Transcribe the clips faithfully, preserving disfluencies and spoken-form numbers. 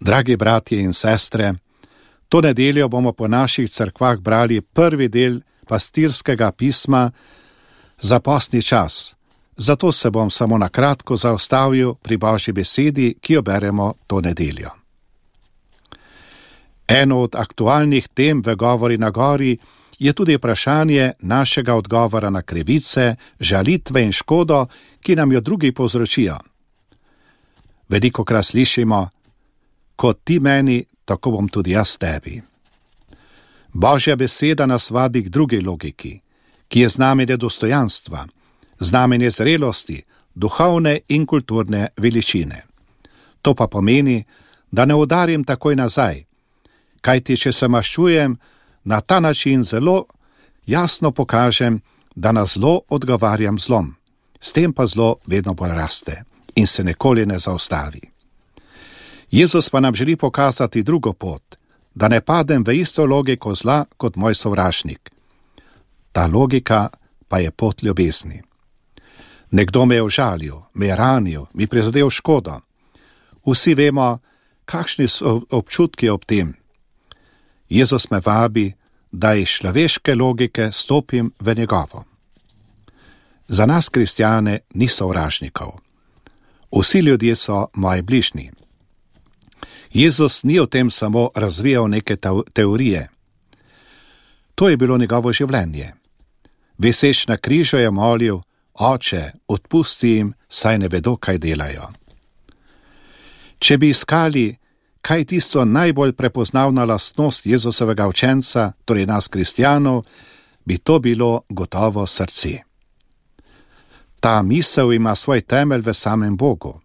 Dragi bratje in sestre, to nedeljo bomo po naših cerkvah brali prvi del pastirskega pisma za postni čas. Zato se bom samo na kratko zaustavil pri Božji besedi, ki jo beremo to nedeljo. Eno od aktualnih tem v Govori na gori je tudi vprašanje našega odgovora na krivice, žalitve in škodo, ki nam jo drugi povzročijo. Velikokrat slišimo: kot ti meni, tako bom tudi jaz tebi. Božja beseda nas vabi k drugi logiki, ki je znamenje dostojanstva, znamenje zrelosti, duhovne in kulturne veličine. To pa pomeni, da ne udarim takoj nazaj, kajti če se maščujem, na ta način zelo jasno pokažem, da na zlo odgovarjam zlom. S tem pa zlo vedno bolj raste in se nikoli ne zaustavi. Jezus pa nam želi pokazati drugo pot, da ne padem v isto logiko zla kot moj sovražnik. Ta logika pa je pot ljubezni. Nekdo me je užalil, me je ranil, mi prizadel škodo. Vsi vemo, kakšni so občutki ob tem. Jezus me vabi, da iz človeške logike stopim v njegovo. Za nas kristjane ni sovražnikov. Vsi ljudje so moji bližnji. Jezus ni o tem samo razvijal neke teorije. To je bilo njegovo življenje. Viseč na križu je molil: Oče, odpusti jim, saj ne vedo, kaj delajo. Če bi iskali, kaj je tisto najbolj prepoznavna lastnost Jezusovega učenca, torej nas kristjanov, bi to bilo gotovo srce. Ta misel ima svoj temelj v samem Bogu,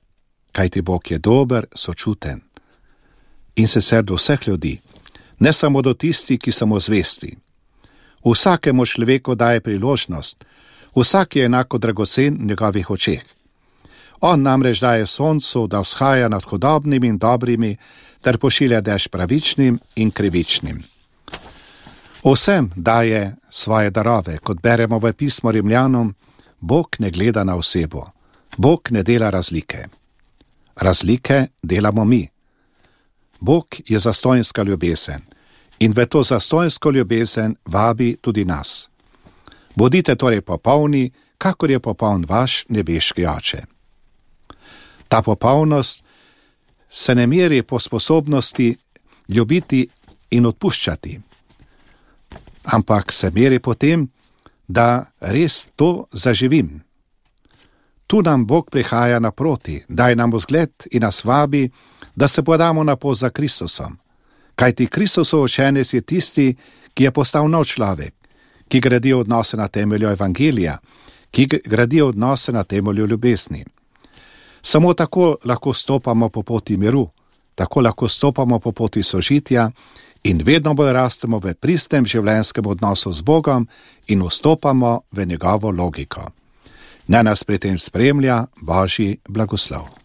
kajti Bog je dober, sočuten in sicer do vseh ljudi, ne samo do tistih, ki so mu zvesti. Vsakemu človeku daje priložnost, vsak je enako dragocen v njegovih očeh. On namreč daje soncu, da vzhaja nad hudobnimi in dobrimi, ter pošilja dež pravičnim in krivičnim. Vsem daje svoje darove, kot beremo v pismu Rimljanom. Bog ne gleda na osebo, Bog ne dela razlike. Razlike delamo mi. Bog je zastonjska ljubezen in v to zastonjsko ljubezen vabi tudi nas. Bodite torej popolni, kakor je popoln vaš nebeški Oče. Ta popolnost se ne meri po sposobnosti ljubiti in odpuščati, ampak se meri po tem, da res to zaživim. Tu nam Bog prihaja naproti, daje nam vzgled in nas vabi, da se podamo na pot za Kristusom. Kajti Kristusov učenec je tisti, ki je postal nov človek, ki gradi odnose na temelju evangelija, ki gradi odnose na temelju ljubezni. Samo tako lahko stopamo po poti miru, tako lahko stopamo po poti sožitja in vedno bolj rastemo v pristnem življenjskem odnosu z Bogom in vstopamo v njegovo logiko. Naj nas pri tem spremlja Božji blagoslov.